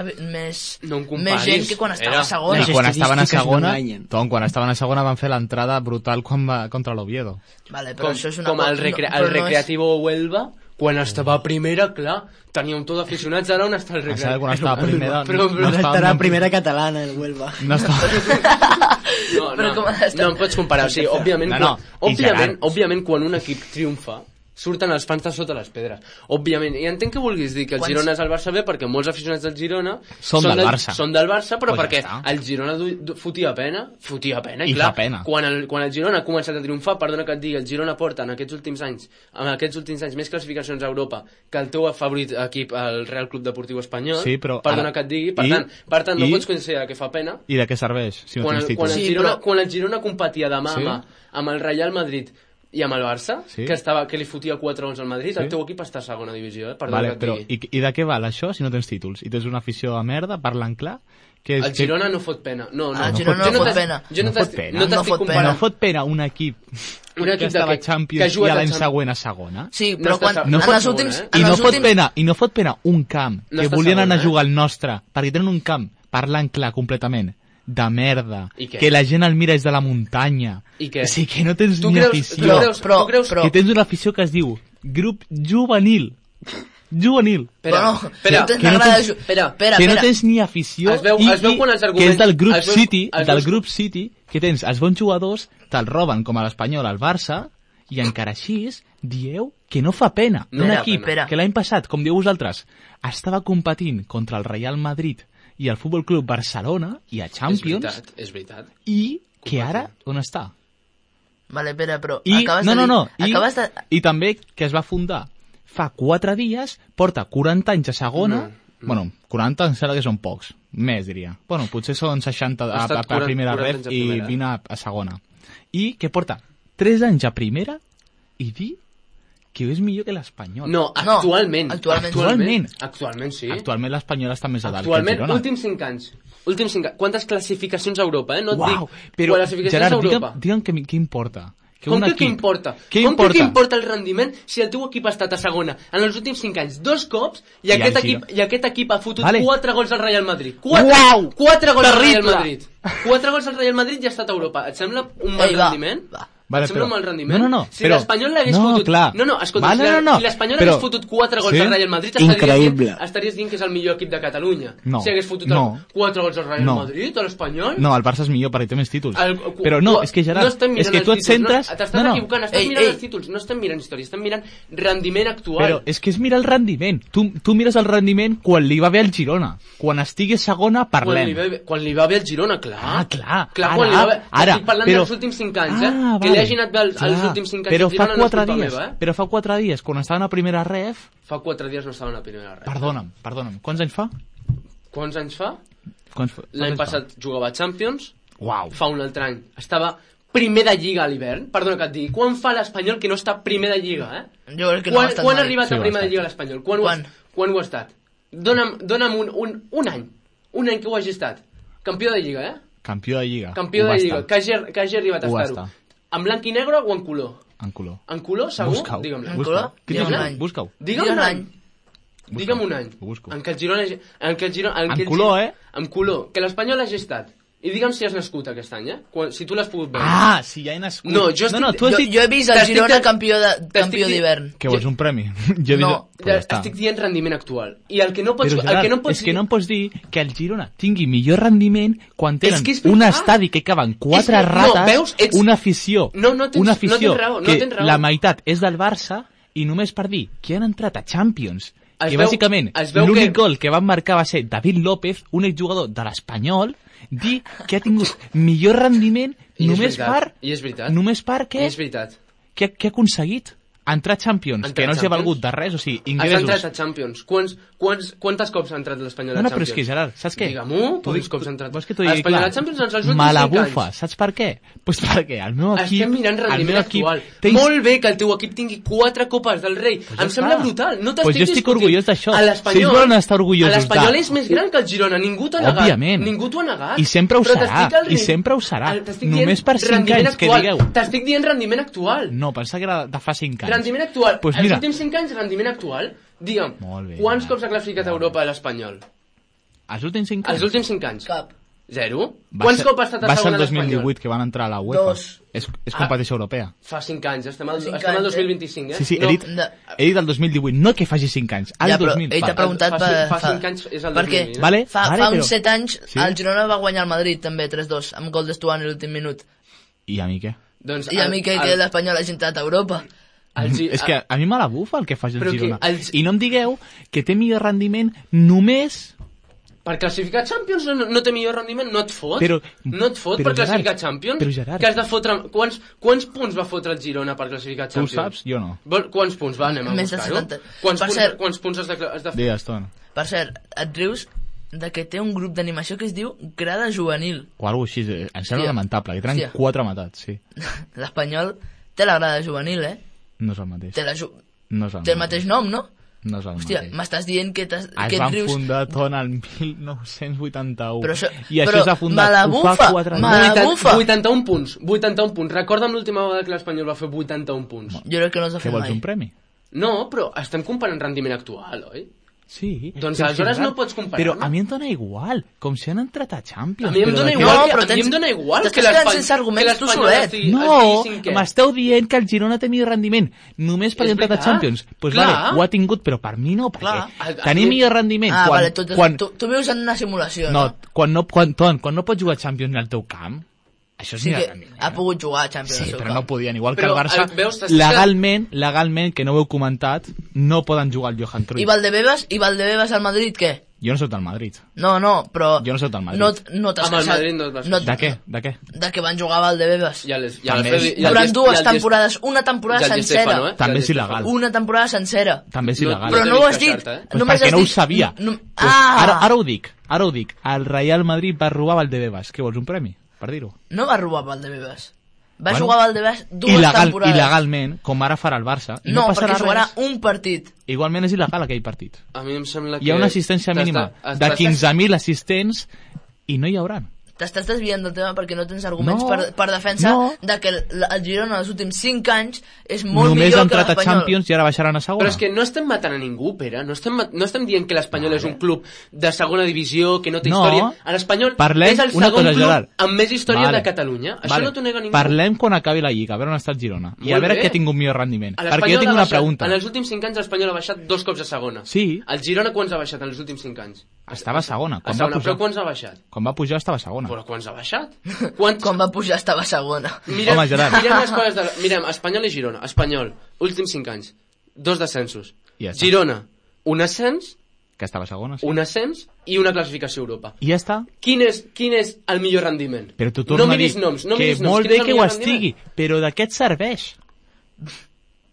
No em comparis. més gent que quan estava Era- a segona. Les quan estaven a estadístiques segona... no enganyen. Tom, quan estaven a segona van fer l'entrada brutal contra l'Oviedo. Vale, però això és una com el, Recreativo Huelva, quan estava a primera, clar, tenia un tot d'aficionats, ara on està el Em sembla que Recreativo? quan estava a primera... Però- no estava Estarà ni en- primera catalana, el Huelva. No estava... Però com ha estat? No em pots comparar, o sigui, òbviament, No, i Gerard. òbviament quan un equip triomfa, surten els pans de sota les pedres. Òbviament, i entenc que vulguis dir que el Quants- Girona és el Barça B perquè molts aficionats del Girona Són del Barça. Són del Barça, però Pues ja perquè està. el Girona fotia pena, i I clar, fa pena. quan el Girona ha començat a triomfar, perdona que et digui, el Girona porta en aquests últims anys més classificacions a Europa que el teu favorit equip, el Real Club Deportiu Espanyol, Sí, però perdona ara- que et digui, i- per tant no i- pots considerar que fa pena I de què serveix, si no quan, tens quan, títols? el Sí, Girona, però- quan el Girona competia de mà Sí. a mà amb el Real Madrid i amb el Barça, Sí. que li fotia 4-11 al Madrid, Sí. el teu equip està a segona divisió, perdona Vale, que et però digui. i de què val això si no tens títols? I tens una afició de merda, parlant clar? Que El Girona no fot pena. No, El Girona no fot pena. Jo no No fot pena. no No t'estic fot pena. No comparant. fot pena un equip Un que equip estava a que Champions ha i jugat a l'any a Champions. següent a segona. Sí, No però està quan, no en fot els molt, últims... eh? I en no els fot últims... pena, i no fot pena un camp No que està volien segon, anar a eh? jugar al nostre, perquè tenen un camp, parlant clar, completament, de merda, I què? que la gent el mira des de la muntanya. I què? O sigui, que no tens Tu ni creus- afició. tu creus- Però- tu creus- però- Que tens una afició que es diu Grup Juvenil. juvenil. Espera, Bueno, espera, no que no t'agrada... tens- Espera, Que no tens ni afició Es veu quan els que és arguments- del grup es veu- City, es del veu- grup City, que tens els bons jugadors, te'l roben com a l'Espanyol al Barça, i encara així dieu que no fa pena. No Un fa equip pena. que l'any passat, com diu vosaltres, estava competint contra el Real Madrid i el Futbol Club Barcelona i a Champions, És veritat. i que ara on està? Vale, espera, però I, acabes no, de no, dir... no, Acabes de... i també que es va fundar fa 4 dies, porta 40 anys a segona, bueno, 40 em sembla que són pocs, més diria. Bueno, potser són 60 Ha estat a primera 40 ref anys a i primera. 20 a segona. I que porta 3 anys a primera i dir que és millor que l'Espanyol. No, No, actualment. actualment. Actualment, sí. Actualment l'Espanyol està més a dalt Actualment, que el Girona. últims 5 anys. Últims 5 anys. Quantes classificacions a Europa, eh? No et Uau, dic però classificacions Gerard, a Europa. digue'm què importa. Que Com un que equip... què importa? Què Com importa? que què importa el rendiment si el teu equip ha estat a segona en els últims 5 anys 2 cops i el aquest equip ha fotut Vale. 4 gols al Real Madrid? Uau! 4 gols al Real Terrible! Madrid. 4 gols al Real Madrid i ha estat a Europa. Et sembla un mal Ei, va, rendiment? va. Vale, Et sembla un mal rendiment? No, no, no. Si l'Espanyol l'hagués no, fotut... Clar. No, escolta, Vale, si l'Espanyol però- hagués fotut 4 gols Sí? al Real Madrid Increïble. estaries dient que és el millor equip de Catalunya. No. Si hagués fotut No. 4 gols al Real No. Madrid, a l'Espanyol... No, el Barça és millor perquè té més títols. El- Però no, és que Gerard, no estem és mirant que els tu et títols, centres... No, t'estàs equivocant, estàs Ei, mirant ei. els títols, no estem mirant història, estem mirant rendiment actual. Però és que és mirar el rendiment. Tu mires el rendiment quan li va bé al Girona. Quan estigui segona, parlem. Quan li va bé el Girona, clar. Ah, clar. Quan li va bé... Ara, Estic parlant dels últims 5 anys, eh? Ah, Que li hagi anat bé els últims 5 anys però al fa Girona no és 4 culpa dies, meva, eh? però fa 4 dies, quan estaven a primera ref... Fa 4 dies no estaven a primera res. Perdona'm. Quants anys fa? Quants anys fa? Quants L'any anys fa? passat jugava a Champions, Uau. fa un altre any estava primer de Lliga a l'hivern. Perdona que et digui, quan fa l'Espanyol que no està primer de Lliga, eh? Jo crec que no ha estat Quan ha mai. arribat Sí, a ho ha primer de estat. Lliga l'Espanyol? Quan? Quan ho ha estat? Dona'm un any. Un any que ho hagi estat. Campió de Lliga, eh? Campió de Lliga. Campió Ho va de Lliga, estar. que hagi arribat a Ho va estar-ho. estar. En blanc i negre o en color? En color. En color, segur? Busca-ho. Digue'm En Busca-ho. color? Quin és Digue'm l'any? l'any. Busca-ho. Digue'm Digues un l'any. any. Digue'm un any. Ho busco. En què el Girona... En què el Girona... En color, eh? En color. Que l'Espanyol hagi estat. I digue'm si has nascut aquest any, eh? Si tu l'has pogut veure. Ah, si ja he nascut. No, jo estic- tu has dit... Jo he vist el T'estic Girona de- campió t'estic d'hivern. Que vols un premi? Jo he vist... No, Pues ja està. Estic dient rendiment actual. I el que no pots... Però, el Gerard, que no pots és que no em pots dir que el Girona tingui millor rendiment quan tenen que és un veritat. estadi que caben 4 És que- no, rates, veus? Ets- una afició, No tens- una no afició tens raó, no que tens raó. la meitat és del Barça i només per dir que han entrat a Champions, Es que veu- bàsicament es veu l'únic que- gol que van marcar va ser David López, un exjugador de l'Espanyol, dir que ha tingut millor rendiment I és només veritat, per... i és veritat. Només per què? És veritat. Què ha aconseguit? Entrar a Champions, Entrar que no a els ha Champions? valgut de res, o sigui, Has entrat ingressos. a Champions. Quantes cops ha entrat l'Espanyol a No, Champions? però és que, Gerard, saps què? Digue-m'ho, quants cops ha entrat. Vols que t'ho digui L'Espanyol clar? a Champions en els últims Me la 5 bufa, anys. saps per què? Pues perquè el meu equip... Estem mirant el rendiment meu equip actual. té- Molt bé que el teu equip tingui 4 copes del rei. Pues ja Em sembla està. brutal. No t'estic Pues jo estic discutint. orgullós d'això. A l'Espanyol... Si ells volen estar orgullosos L'Espanyol de- és més gran que el Girona. Ningú t'ho ha negat. Òbviament. Ningú t'ho ha negat. I sempre ho Però serà, t'estic al i sempre ho serà. t'estic Només dient per 5 rendiment anys que actual. digueu. T'estic dient rendiment actual. No, pensava que era de fa 5 anys. Rendiment actual. Pues Els mira, últims 5 anys, rendiment actual. Digue'm, Molt bé, quants Gerard. cops ha classificat a Europa l'Espanyol? els últims 5 anys... Els últims 5 anys. Cap. 0? Quants cops ha estat a Va ser segona el l'Espanyol? 2018 que van entrar a la UEFA. 2. És competició europea. Fa 5 anys, estem al 5 estem al anys, 2025, eh? Sí, sí, No, he dit el 2018, no que faci 5 anys, el Ja, però 2000. ell t'ha preguntat Fa 5 anys és el perquè 2020, eh? Vale, fa però- uns 7 anys Sí. el Girona va guanyar el Madrid també 3-2 amb gol d'Estuani a l'últim minut. I a mi què? Doncs I a mi que l'Espanyol hagi entrat a Europa. És que a mi me la bufa el que faci el Però que Girona. els- I no em digueu que té millor rendiment només... Per classificar Champions no té millor rendiment, no et fot. Però- no et fot però, per classificar Gerard, Champions. però, Gerard. Que has de fotre... Quants punts va fotre el Girona per classificar Tu ho Champions? saps? Jo no. Quants punts va? Anem a Més de buscar-ho. 70. Quants, Per punts, cert- quants punts has de fer? Digues, Tona. Per cert, et rius de que té un grup d'animació que es diu Grada Juvenil. O alguna cosa així. Em sembla Hòstia. lamentable. Que tenen Hòstia. 4 matats, sí. L'Espanyol té la Grada Juvenil, eh? No és el mateix. Té, No és el té el mateix nom, no? No és el Hòstia, mateix. m'estàs dient que, Es que et van rius... fundar Tona el 1981. Però això- I això però s'ha fundat me la ho bufa, fa 4 me anys. la bufa. 81 punts. 81 punts. Recorda'm l'última vegada que l'Espanyol va fer 81 punts. Jo crec que no els ha Què fet vols, mai. un premi? No, però estem comparant rendiment actual, oi? Sí. Doncs però aleshores és no rar. pots comparar, Però no? a mi em dona igual, com si han entrat a Champions. A mi em però dona de què- igual, No, que- però a mi em dona igual t'estàs que quedant l'Espanyol... sense arguments, tu l'Espanyol solet. estigui No, cinquè. m'esteu dient que el Girona té millor rendiment només perquè És ha entrat a veritat. Champions. Doncs Clar. vale, ho ha tingut, però per mi no, perquè Clar. tenir millor rendiment Ah, quan, vale, quan, tu vius en una simulació, no, no? quan no pots jugar a Champions al teu camp, això és Sí millor que rendiment. ha pogut jugar a Champions Sí, al seu però camp. no podien. Igual que Però, el Barça, veus, t'estàs legalment, que no ho heu comentat, no poden jugar al Johan Cruyff. I Valdebebas al Madrid, què? Jo no soc del Madrid. No, però... Jo no soc del Madrid. No t'has Amb el casat. Madrid no et vas De què? De què? De que van jugar a Valdebebas. També. Durant dues temporades, una temporada ja el Di sencera. Stefano, eh? També Ja el és Di il·legal. Stefano. Una temporada sencera. També és No, il·legal. Però t'he no ho vist has dit. queixar-te, eh? Pues Només perquè has no ho dit... sabia. Pues ara ho dic. El Real Madrid va robar Valdebebas. Què vols, un premi? Per dir-ho. No va robar Valdebebas. Va Bueno, jugar a Valdebebas dues temporades. Il·legalment, com ara farà el Barça. I No, passarà perquè jugarà res. un partit. Igualment és il·legal aquell partit. A mi em sembla que... Hi ha una assistència mínima de 15.000 assistents i no hi hauran. T'estàs desviant del tema perquè no tens arguments No, per defensar no. de que el Girona els últims 5 anys és molt Només millor ha que entrat a l'Espanyol. Champions i ara baixaran a segona. Però és que no estem matant a ningú, Pere. No estem dient que l'Espanyol és un club de segona divisió, que no té No. història. L'Espanyol Parlem és el una segon cosa, club Gerard. amb més història de Catalunya. Això no t'ho nega ningú. Parlem quan acabi la Lliga, a veure on està el Girona. I a Molt veure bé. qui ha tingut millor rendiment. A Perquè l'Espanyol jo tinc ha una baixat- pregunta. En els últims 5 anys l'Espanyol ha baixat 2 cops a segona. Sí. El Girona quants ha baixat en els últims 5 anys? Estava a segona. A Quan va segona, pujar, però quants ha baixat? quan va pujar estava a segona. Però quants ha baixat? Quants... Quan va pujar estava segona. Home, Gerard. Mirem les coses de... Mirem, Espanyol i Girona. Espanyol, últims 5 anys. 2 descensos. Ja està. Girona, un ascens, Que estava a segona, sí. un ascens i una classificació a Europa. I ja està. Quin és el millor rendiment? Però tu torna no a miris dir noms, no que miris noms. molt Quin bé és el que ho millor estigui, però de què et serveix?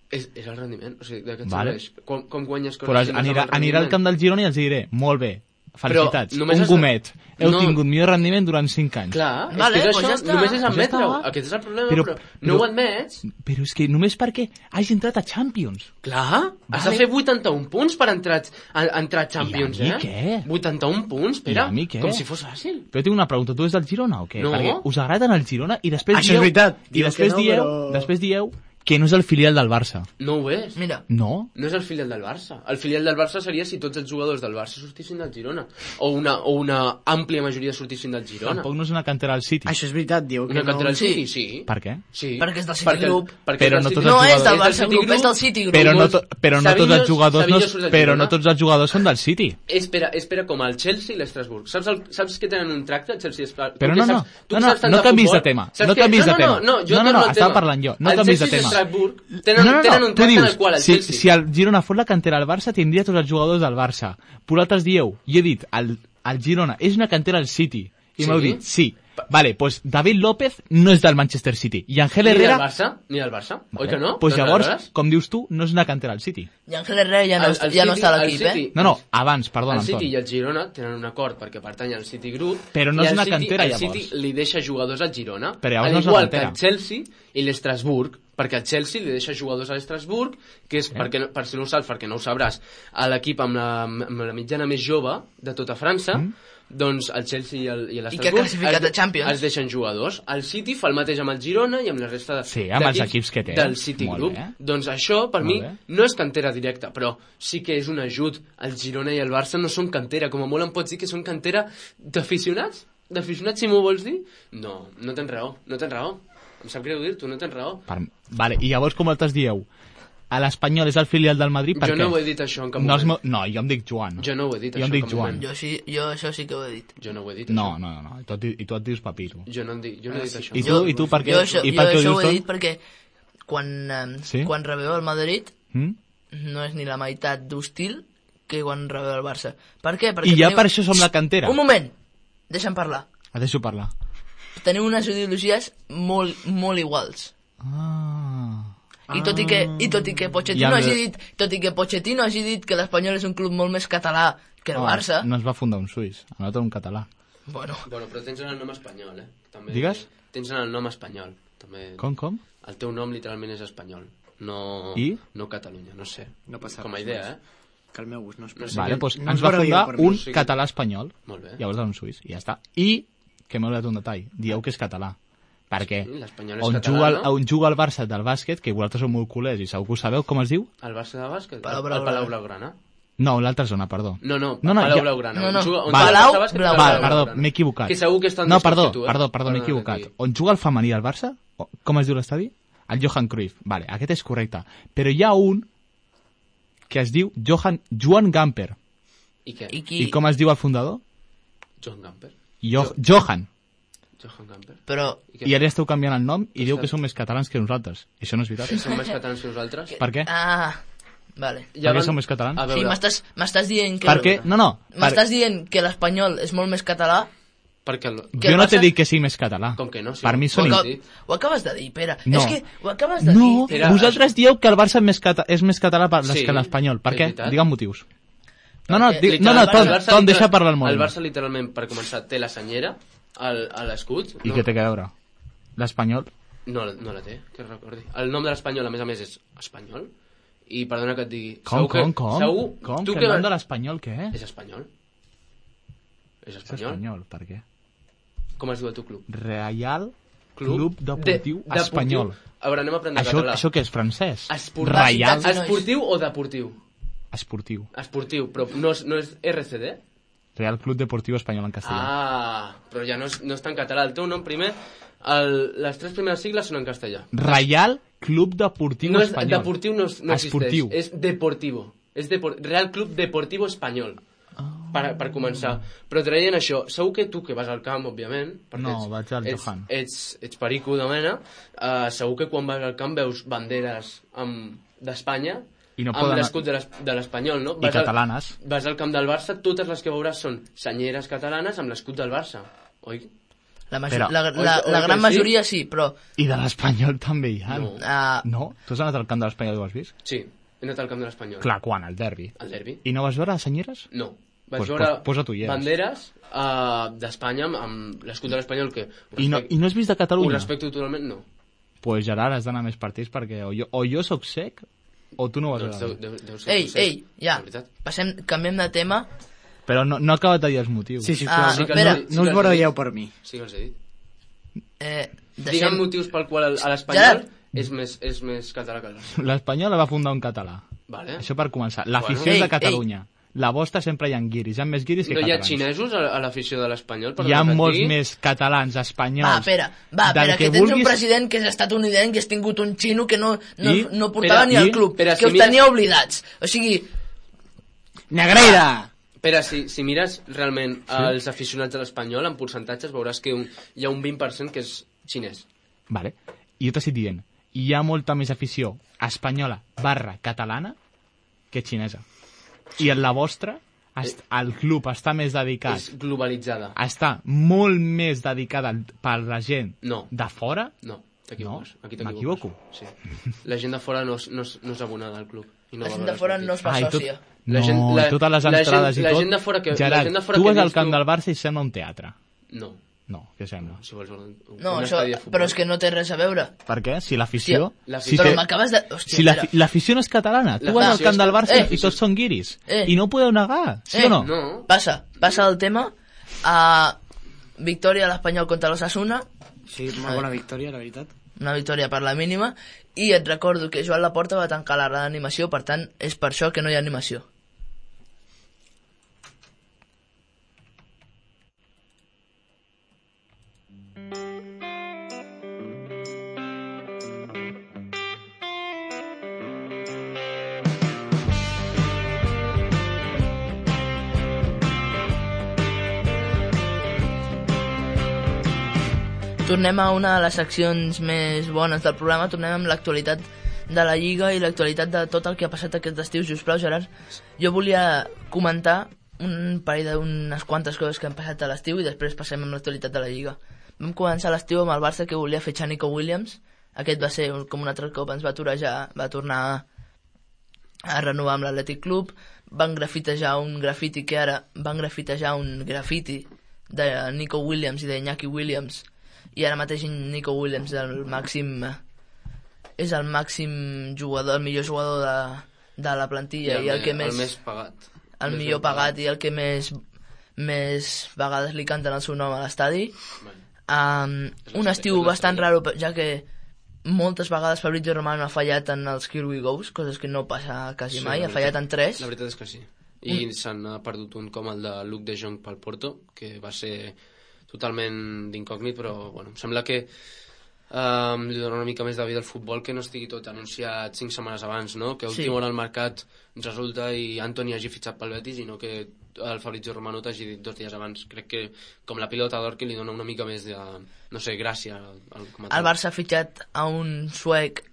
És el rendiment, o sigui, de què et Vale. serveix? Com guanyes coses Però si no és amb el anirà al rendiment? camp del Girona i els diré, molt bé, felicitats, Però només un has de- gomet, heu No. tingut millor rendiment durant 5 anys. Clar, Vale, és que és pues això, ja està. només és Ja admetre-ho. està. Aquest és el problema, Però- però no ho admets. Però és que només perquè hagi entrat a Champions. Clar, has de Vale. fer 81 punts per entrar a Champions, I a mi eh? què? 81 punts, Pere, I a mi què? com si fos fàcil. Però tinc una pregunta, tu ets del Girona o què? No. Perquè us agrada anar al Girona i després Això és veritat. I Diu després, que no, dieu, però- després dieu que no és el filial del Barça. No ho és. Mira, No? No és el filial del Barça. El filial del Barça seria si tots els jugadors del Barça sortissin del Girona. O una àmplia majoria sortissin del Girona. Tampoc no és una cantera del City. Això és veritat, diu que Una cantera del Sí. City, sí. Per què? Sí. Perquè és del City Group. perquè Però és del no City tots Group. no és del És Barça City Group, és del City Group. Però no, Molts- però no tots Savinho- els jugadors Savinho surt del però Girona. no tots els jugadors són del City. Espera, com el Chelsea i l'Estrasburg. Saps que tenen un tracte, el Chelsea i l'Estrasburg? Però Tu que no, saps- tu no, que no, saps tant no canvis de futbol, tema, saps no que- canvis de tema. No, jo No, torno al estava tema. parlant jo, no El canvis de Chelsea i tema. l'Estrasburg tenen un tu tracte en dius, el qual el si, Chelsea... si el Girona fos la cantera del Barça, tindria tots els jugadors del Barça. Vosaltres dieu, i he dit, el Girona és una cantera del City. I Sí? m'heu dit, sí. Vale, pues David López no és del Manchester City. I Ángel Ni del Herrera... Barça, ni del Barça. Oi Vale. que no? Pues Doncs llavors, aleshores, com dius tu, no és una cantera del City. I Ángel Herrera ja no, el ja no City- està a el l'equip, eh? City- No, abans, perdona, el Anton. City i el Girona tenen un acord perquè pertany al City Group. Però no i és el una City- cantera, el llavors. City li deixa jugadors al Girona, Però llavors al no és una igual que cantera. el Chelsea i l'Estrasburg, perquè el Chelsea li deixa jugadors a l'Estrasburg, que és, per si no ho saps, perquè no ho sabràs, a l'equip amb la mitjana més jove de tota França, doncs el Chelsea i l'Estrasburg I que ha classificat a Champions. es deixen jugadors. El City fa el mateix amb el Girona i amb la resta Sí, amb els equips que té. del City Molt Group. bé. Doncs això, per Molt mi, bé. no és cantera directa, però sí que és un ajut. El Girona i el Barça no són cantera. Com a molt em pots dir que són cantera d'aficionats? D'aficionats, si m'ho vols dir? No, no tens raó, no tens raó. Em sap greu dir-t'ho, no tens raó. Vale, i llavors com altres dieu? A l'Espanyol és el filial del Madrid, per Jo què? no ho he dit això en cap No, moment. no, jo em dic Joan. Jo no ho he dit Jo això em en dic cap Joan. moment. Jo això sí que ho he dit. Jo no ho he dit No, això. no, i tu et dius Papiro. Jo no he dit això. I tu per què? Jo això, I per què ho ho dius he tot? dit perquè Sí? quan rebeu el Madrid Mm? no és ni la meitat d'hostil que quan rebeu el Barça. Per què? Perquè I ja teniu- per això som la cantera. Un moment, deixa'm parlar. Et deixo parlar. Teniu unes ideologies molt, molt iguals. I tot i que Pochettino Ja hagi dit, tot i que Pochettino hagi dit que l'Espanyol és un club molt més català que el Barça, No es va fundar un suís, a nosaltres un català. bueno, Bueno, però tens en el nom espanyol, També, Digues? Tens en el nom espanyol. També... Com? El teu nom literalment és espanyol. No, I? no Catalunya, no sé. No passa Com a res idea, Que el meu gust no es No sé Vale, què- doncs no ens ens va va fundar dir per un mi. Sí. català espanyol, Molt bé. llavors un suís, i ja està. I, que m'he oblidat un detall, dieu que és català. Perquè Sí, l'Espanyol és on, català, juga, no? on juga el Barça del bàsquet, que vosaltres sou molt culers i segur que ho sabeu, com es diu? El Barça de bàsquet? Palau El Blaugrana. Palau Blaugrana. No, l'altra zona, perdó. No, No, Palau ja- Blaugrana. No, no. On juga- on Palau tu estaves, que Blaugrana. Palau Val, perdó, Blaugrana. m'he equivocat. Que segur que estan No, més perdó, que tu, perdó, m'he equivocat. Aquí. On juga el femení al Barça? Com es diu l'estadi? El Johan Cruyff. Vale, aquest és correcte. Però hi ha un que es diu Joan Gamper. I què? I com es diu el fundador? Johan Gamper. Johan. Johan Gamper. Però, I què? I ara esteu canviant el nom i diu que són més catalans que nosaltres. I això no és veritat. Som més catalans que nosaltres? Per què? vale. Per què som més catalans? A Sí, veure, m'estàs dient que... Per què? No. M'estàs dient que l'espanyol és molt més català? perquè... que Jo el no t'he Barça- dit que sigui més català. Com que no? Sí, Per mi són... Ho acabes de dir, Pere. No. És que ho acabes de No, dir. Era- vosaltres dieu que el Barça és més català Sí, que l'Espanyol. Per és què? veritat. Digue'm motius. No, Perquè Tom, deixa parlar el El Molina. Barça, literalment, per començar, té la senyera a l'escut. I què té que veure? L'Espanyol? No la té, que recordi. El nom de l'Espanyol, a més, és espanyol. I perdona que et digui... Com? Segur, tu Que que... el nom de l'Espanyol què és? És espanyol. És És espanyol. espanyol, per què? Com es diu el teu club? Real Club Deportiu Deportiu. Espanyol. A veure, anem a aprendre català. Això què és, francès? Esportiu. Reial Esportiu o deportiu? Esportiu. Esportiu, però no és RCD? Real Club Deportiu Espanyol en castellà. Però ja no és tan català. El teu nom primer, les tres primeres sigles són en castellà. Reial Club Deportiu No és, Espanyol. deportiu no Esportiu. existeix, és deportivo. És Real Club Deportivo Espanyol. Per començar. Però traient això, segur que tu que vas al camp, òbviament, perquè No, vaig al Johan. ets perico de mena, segur que quan vas al camp veus banderes d'Espanya I no amb poden- l'escut de l'Espanyol, no? I catalanes. Vas al camp del Barça, totes les que veuràs són senyeres catalanes amb l'escut del Barça, oi? Però- La gran majoria sí, però... I de l'Espanyol també hi ha. No. No? Tu has anat al camp de l'Espanyol i ho has vist? Sí, he anat al camp de l'Espanyol. Clar, quan? Al derbi. Al derbi? I no vas veure les senyeres? No. Vaig Pues veure posa-t'ho ulleres. banderes d'Espanya amb l'escut de l'Espanyol que I no has vist de ho Catalunya? respecto totalment, no. Pues Gerard, has d'anar a més partits perquè o jo sóc sec o tu no ho vas Doncs veure. deu ser procés, Ei, ja, de veritat. canviem de tema. Però no ha acabat de dir els motius. Sí, sisplau, sí que espera. sí, no us que baralleu per mi. Sí que els he dit. Deixem... Digue'm motius pel qual a l'Espanyol Gerard. és més català que el Barça. L'Espanyol la va fundar un català. Vale. Això per començar. L'afició Bueno. és de Ei, Catalunya. La vostra sempre hi ha guiris. Hi ha més guiris que No hi ha catalans. xinesos a l'afició de l'Espanyol? Hi ha molts més catalans, espanyols... Pere, que tens un president que és estatunidenc que has tingut un xino que no portava Pere, ni al club, Pere, que si els mires- tenia oblidats. O sigui, Negreira! Pere, si mires realment els aficionats de l'Espanyol en percentatges veuràs que hi ha un 20% que és xinès. Vale. I jo t'estic dient, hi ha molta més afició espanyola / catalana que xinesa. I en la vostra, el club està més dedicat, És globalitzada. està molt més dedicada per la gent No. de fora. No, t'equivoques. No? Aquí t'equivoques. M'equivoco? Sí. La gent de fora no és abonada al club. I no la va gent veure de fora els no es partits. fa I tot, sòcia. no, i totes les entrades i tot. La gent de fora que... Gerard, la gent de fora tu que vas al dius camp tu- del Barça i sembla un teatre. No, No, què sembla? si vols un No, un això, estadi de futbol. però és que no té res a veure. Per què? Si l'afició... Hòstia, si Però té- m'acabes de... Hòstia, si espera. l'afició no és catalana, tu vas al L'afició camp del és- Barça i tots són guiris. I no ho podeu negar, sí o no? No. Passa el tema. Victòria a l'Espanyol contra l'Osasuna, Sí, molt bona victòria, la veritat. una victòria per la mínima, i et recordo que Joan Laporta va tancar la d'animació, per tant, és per això que no hi ha animació. Tornem a una de les seccions més bones del programa, tornem amb l'actualitat de la Lliga i l'actualitat de tot el que ha passat aquest estiu. Sisplau, Gerard, jo volia comentar un parell d'unes quantes coses que han passat a l'estiu i després passem amb l'actualitat de la Lliga. Vam començar l'estiu amb el Barça, que volia fer Nico Williams. Aquest va ser com un altre cop, ens va aturejar, va tornar a renovar amb l'Atlètic Club. Van grafitejar un grafiti de Nico Williams i d'Iñaki Williams, i ara mateix Nico Williams és el màxim jugador, el millor jugador de la plantilla i el que més... El més pagat. El millor pagat i el que més vegades li canten el seu nom a l'estadi. Un estiu bastant raro, ja que moltes vegades Fabrizio Romano ha fallat en els Here We Goes, coses que no passa quasi mai, ha fallat en 3. La veritat és que sí. i s'han perdut un com el de Luc de Jong pel Porto, que va ser totalment d'incògnit, però bueno, em sembla que li dona una mica més de vida al futbol, que no estigui tot anunciat 5 setmanes abans, no? Que a última hora al mercat ens resulta i Antoni hagi fitxat pel Betis i no que el Fabrizio Romano t'hagi dit 2 dies abans. Crec que com la pilota d'or, que li dona una mica més de, no sé, gràcia al comentar. El Barça ha fitxat a un suec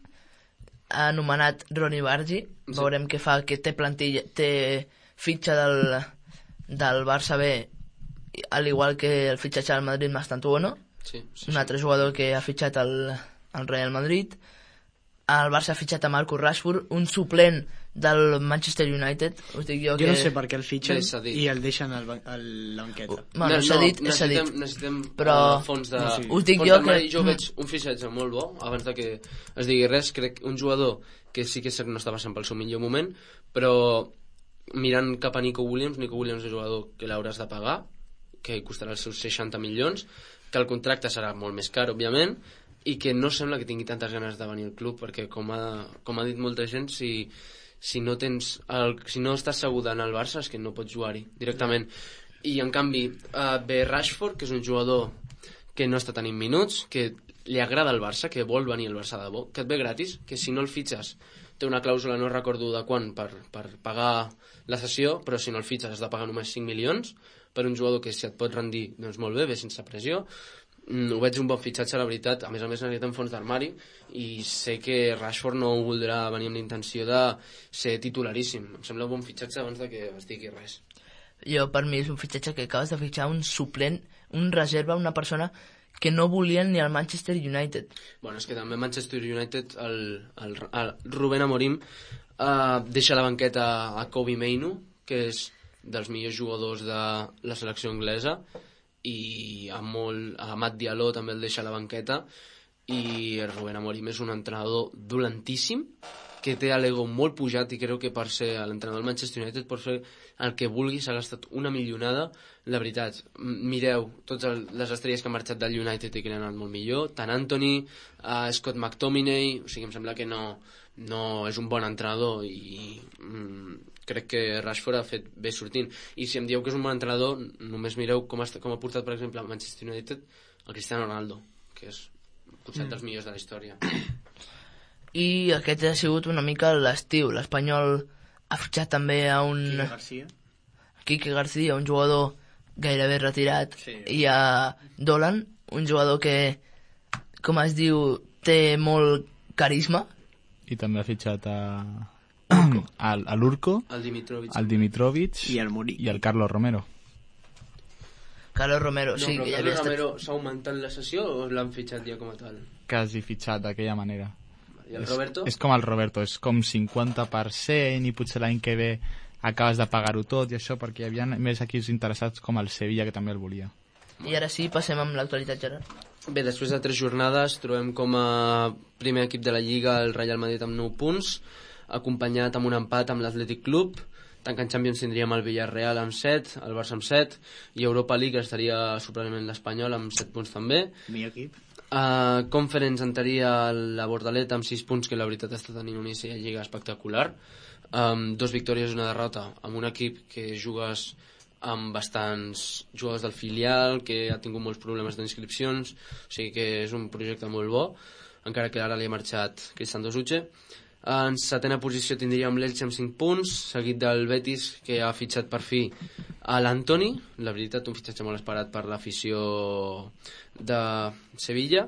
anomenat Ronny Bargi. Veurem què fa, que té plantilla, té fitxa del Barça B, al igual que el fitxatge del Madrid Mastantuono. Sí. Un altre jugador que ha fitxat el Real Madrid. El Barça ha fitxat a Marcus Rashford, un suplent del Manchester United. Us dic jo Jo no sé per què el fitxen i el deixen a la banqueta. Bueno, s'ha dit. Necessitem però fons de... us dic jo que... Jo veig un fitxatge molt bo, abans de que es digui res. Crec un jugador que sí que no està passant pel seu millor moment, però mirant cap a Nico Williams és un jugador que l'hauràs de pagar, que costarà els seus 60 milions, que el contracte serà molt més car, òbviament, i que no sembla que tingui tantes ganes de venir al club, perquè com ha dit molta gent, si no estàs segur d'anar al Barça és que no pots jugar-hi directament. I en canvi ve Rashford, que és un jugador que no està tenint minuts, que li agrada el Barça, que vol venir al Barça de bo, que et ve gratis, que si no el fitxes té una clàusula, no recordo de quan, per pagar la cessió, però si no el fitxes has de pagar només 5 milions per un jugador que si et pot rendir, doncs molt bé, sense pressió. Ho veig un bon fitxatge, la veritat. A més necessitem fons d'armari i sé que Rashford no voldrà venir amb l'intenció de ser titularíssim. Em sembla un bon fitxatge abans de que es digui res. Jo, per mi és un fitxatge que acabes de fitxar un suplent, un reserva, una persona que no volien ni al Manchester United. Bueno, és que també Manchester United, el Rubén Amorim deixa a la banqueta a Kobbie Mainoo, que és dels millors jugadors de la selecció anglesa, i a Matt Diallo també el deixa a la banqueta, i el Rubén Amorim és un entrenador dolentíssim, que té l'ego molt pujat, i crec que per ser l'entrenador del Manchester United pot fer el que vulgui. S'ha gastat una milionada, la veritat. Mireu totes les estrelles que han marxat del United i que han anat molt millor, tant Anthony, Scott McTominay, o sigui, em sembla que no és un bon entrenador, i crec que Rashford ha fet bé sortint. I si em dieu que és un bon entrenador, només mireu com ha portat, per exemple, al Manchester United el Cristiano Ronaldo, que és potser dels millors de la història. I aquest ha sigut una mica l'estiu. L'Espanyol ha fitxat també a un Quique García, un jugador gairebé retirat, i a Dolan, un jugador que, com es diu, té molt carisma. I també ha fitxat a l'Urco, al Dimitrovic i al Murillo i al Carlos Romero. Carlos Romero, sí. Però Carlos Romero s'ha augmentat la sessió o l'han fitxat ja com a tal? Quasi fitxat d'aquella manera. I el Roberto? És com el Roberto, és com 50% i potser l'any que ve acabes de pagar-ho tot i això, perquè hi havia més equips interessats com el Sevilla, que també el volia. I ara sí, passem amb l'actualitat, Gerard. Bé, després de 3 jornades trobem com a primer equip de la Lliga el Real Madrid amb 9 punts, acompanyat amb un empat amb l'Athletic Club. Tancant Champions tindríem el Villarreal amb 7, el Barça amb 7, i Europa League estaria sorprenentment l'Espanyol amb 7 punts també. Millor equip. Conference entraria la Bordaleta amb 6 punts, que la veritat està tenint un inici de Lliga espectacular. 2 victòries i una derrota, amb un equip que jugues amb bastants jugadors del filial, que ha tingut molts problemes d'inscripcions, o sigui que és un projecte molt bo, encara que ara li ha marxat Cristian Dosuche. En setena posició tindríem l'Elche amb 5 punts, seguit del Betis, que ha fitxat per fi a l'Antoni, la veritat un fitxatge molt esperat per l'afició de Sevilla.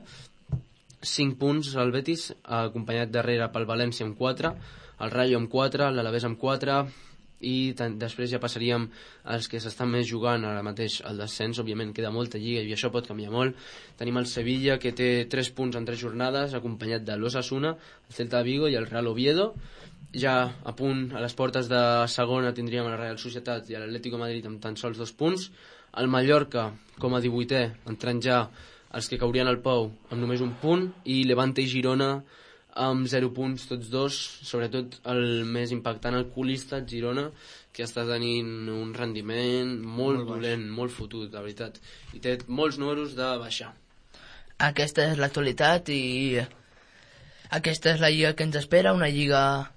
5 punts al Betis, acompanyat darrere pel València amb 4, el Rayo amb 4, l'Alavés amb 4, i després ja passaríem als que s'estan més jugant ara mateix al descens. Òbviament queda molta lliga i això pot canviar molt. Tenim el Sevilla, que té 3 punts en 3 jornades, acompanyat de l'Osasuna, el Celta de Vigo i el Real Oviedo. Ja a punt, a les portes de segona, tindríem la Real Societat i l'Atlético Madrid amb tan sols 2 punts. El Mallorca, com a 18è, entrant ja els que caurien al Pou amb només 1 punt, i Levante i Girona amb 0 punts tots dos, sobretot el més impactant, el colista Girona, que està tenint un rendiment molt dolent, molt fotut, la veritat, i té molts números de baixar. Aquesta és l'actualitat i aquesta és la lliga que ens espera, una lliga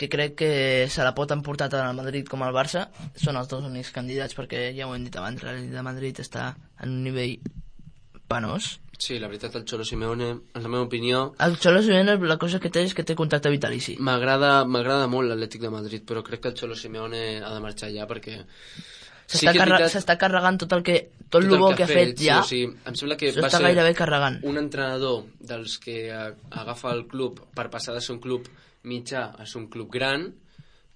que crec que se la pot emportar tant el Madrid com el Barça són els dos únics candidats, perquè ja ho hem dit abans, el Madrid està en un nivell penós. Sí, la veritat, el Cholo Simeone, en la meva opinió... El Cholo Simeone, la cosa que té és que té contracte vitalici. M'agrada molt l'Atlètic de Madrid, però crec que el Cholo Simeone ha de marxar ja perquè... S'està carregant tot el bo que ha fet ja. Sí, em sembla que va s'està ser gairebé carregant. un entrenador dels que agafa el club per passar de ser un club mitjà a ser un club gran,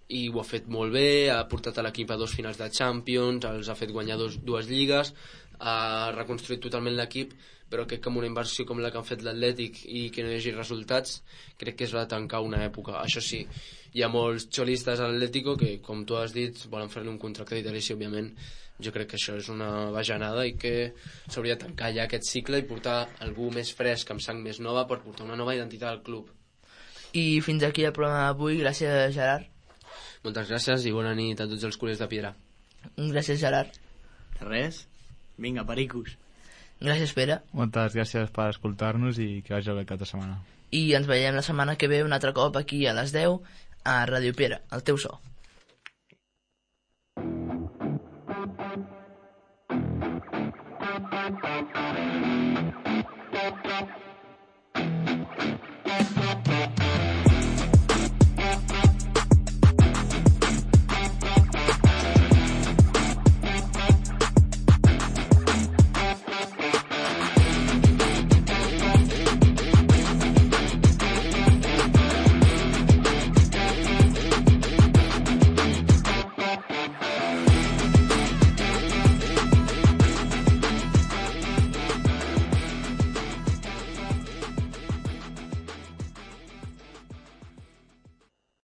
i ho ha fet molt bé, ha portat a l'equip a 2 finals de Champions, els ha fet guanyar 2 lligues, ha reconstruït totalment l'equip, però crec que amb una inversió com la que han fet l'Atlètic i que no hi hagi resultats, crec que es va tancar una època. Això sí, hi ha molts xolistes a l'Atlético que, com tu has dit, volen fer-li un contracte vitalici, òbviament. Jo crec que això és una bajanada i que s'hauria de tancar ja aquest cicle i portar algú més fresc, amb sang més nova, per portar una nova identitat al club. I fins aquí el programa d'avui. Gràcies, Gerard. Moltes gràcies i bona nit a tots els culers de Piera. Gràcies, Gerard. Res. Vinga, pericos. Gràcies, Pere. Moltes gràcies per escoltar-nos i que vagi bé cap de setmana. I ens veiem la setmana que ve un altre cop aquí a les 10 a Ràdio Piera, el teu so.